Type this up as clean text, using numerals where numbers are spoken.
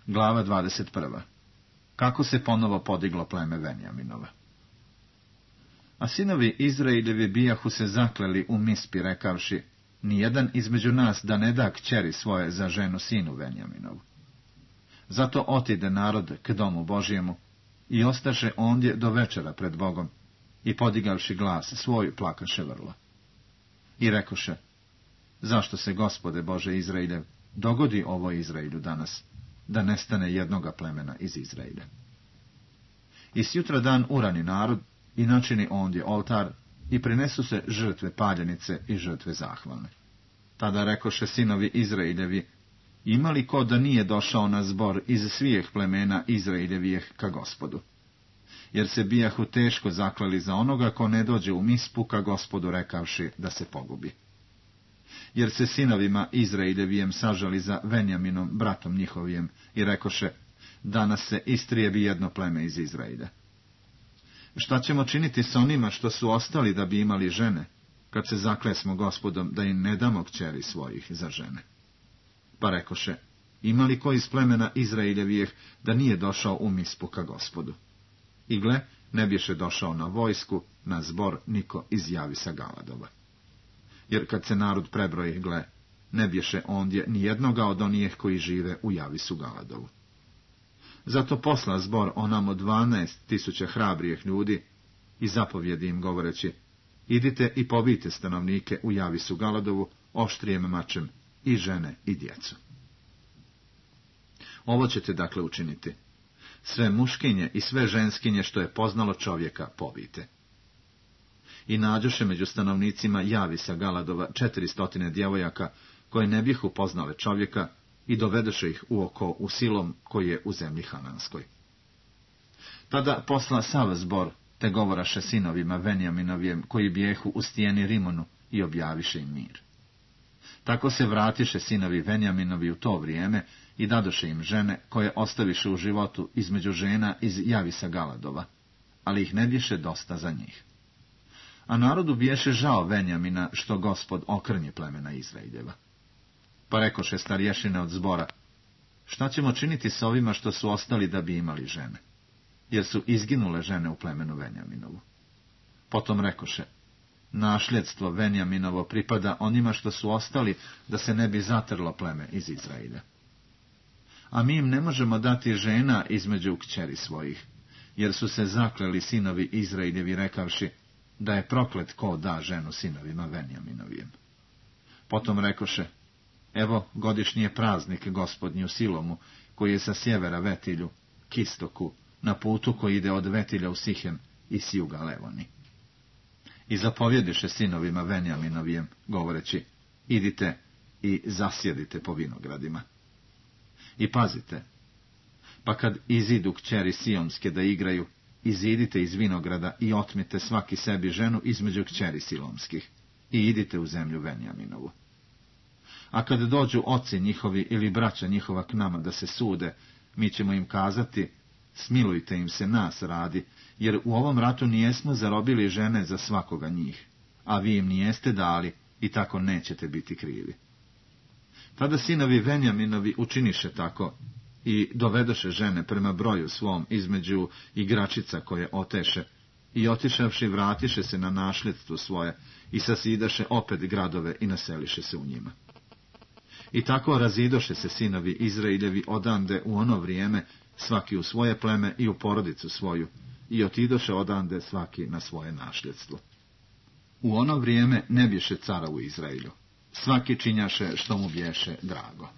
Glava 21. Kako se ponovo podiglo pleme Venjaminova. A sinovi Izraeljevi bijahu se zakleli u Mispi, rekavši, nijedan između nas da ne da kćeri svoje za ženu sinu Venjaminovu. Zato otide narod k domu Božjemu i ostaše ondje do večera pred Bogom i podigavši glas svoj plakaše vrlo. I rekoše, zašto se, Gospode Bože Izraeljev, dogodi ovo Izraelju danas, da nestane jednoga plemena iz Izraelja? I sjutra dan urani narod i načini ondje oltar i prinesu se žrtve paljenice i žrtve zahvalne. Tada rekoše sinovi Izraeljevi, ima li ko da nije došao na zbor iz svijeh plemena Izraeljevijeh ka Gospodu? Jer se bijahu teško zaklali za onoga ko ne dođe u Mispu ka Gospodu, rekavši da se pogubi. Jer se sinovima Izraeljevijem sažali za Venjaminom, bratom njihovijem, i rekoše, danas se istrijebi jedno pleme iz Izraelja. Šta ćemo činiti s onima što su ostali da bi imali žene, kad se zaklesmo Gospodom da im ne damo kćeri svojih za žene? Pa rekoše, ima li ko iz plemena Izraeljevijeh da nije došao u Mispu ka Gospodu? I gle, ne biše došao na vojsku, na zbor niko iz Javisa Galadova. Jer kad se narod prebroji, gle, ne biše ondje ni jednoga od onih koji žive u Javisu Galadovu. Zato posla zbor onamo 12.000 hrabrijih ljudi i zapovjedi im govoreći, idite i pobijte stanovnike u Javisu Galadovu oštrijem mačem, i žene i djecu. Ovo ćete dakle učiniti. Sve muškinje i sve ženskinje što je poznalo čovjeka pobijte. I nađoše među stanovnicima Javisa Galadova 400 djevojaka koje ne bihu poznale čovjeka i dovedoše ih u oko u Silom koji je u zemlji Hananskoj. Tada posla sav zbor, te govoraše sinovima Venjaminovijem koji bijehu u stijeni Rimonu i objaviše im mir. Tako se vratiše sinovi Venjaminovi u to vrijeme i dadoše im žene koje ostaviše u životu između žena iz Javisa Galadova, ali ih ne biše dosta za njih. A narodu biješe žao Venjamina što Gospod okrnji plemena Izraeljeva. Pa rekoše starješine od zbora, šta ćemo činiti s ovima što su ostali da bi imali žene? Jer su izginule žene u plemenu Venjaminovu. Potom rekoše, nasljedstvo Venjaminovo pripada onima što su ostali da se ne bi zatrlo pleme iz Izraelja. A mi im ne možemo dati žena između kćeri svojih, jer su se zakleli sinovi Izraeljevi rekavši, da je proklet ko da ženu sinovima Venjaminovijem. Potom rekoše, evo godišnji je praznik Gospodnji u Silomu, koji je sa sjevera Vetilju, k istoku, na putu koji ide od Vetilja u Sihem i s juga Levoni. I zapovjediše sinovima Venjaminovijem, govoreći, idite i zasjedite po vinogradima. I pazite, pa kad izidu kćeri Sionske da igraju, izidite iz vinograda i otmite svaki sebi ženu između kćeri Silomskih i idite u zemlju Venjaminovu. A kad dođu oci njihovi ili braća njihova k nama da se sude, mi ćemo im kazati, smilujte im se nas radi, jer u ovom ratu nijesmo zarobili žene za svakoga njih, a vi im nijeste dali i tako nećete biti krivi. Tada sinovi Venjaminovi učiniše tako i dovedoše žene prema broju svom između igračica koje oteše i otišavši vratiše se na nasljedstvo svoje i sasidaše opet gradove i naseliše se u njima. I tako razidoše se sinovi Izraeljevi odande u ono vrijeme, svaki u svoje pleme i u porodicu svoju, i otidoše odande svaki na svoje nasljedstvo. U ono vrijeme ne biše cara u Izraelju, svaki činjaše što mu bješe drago.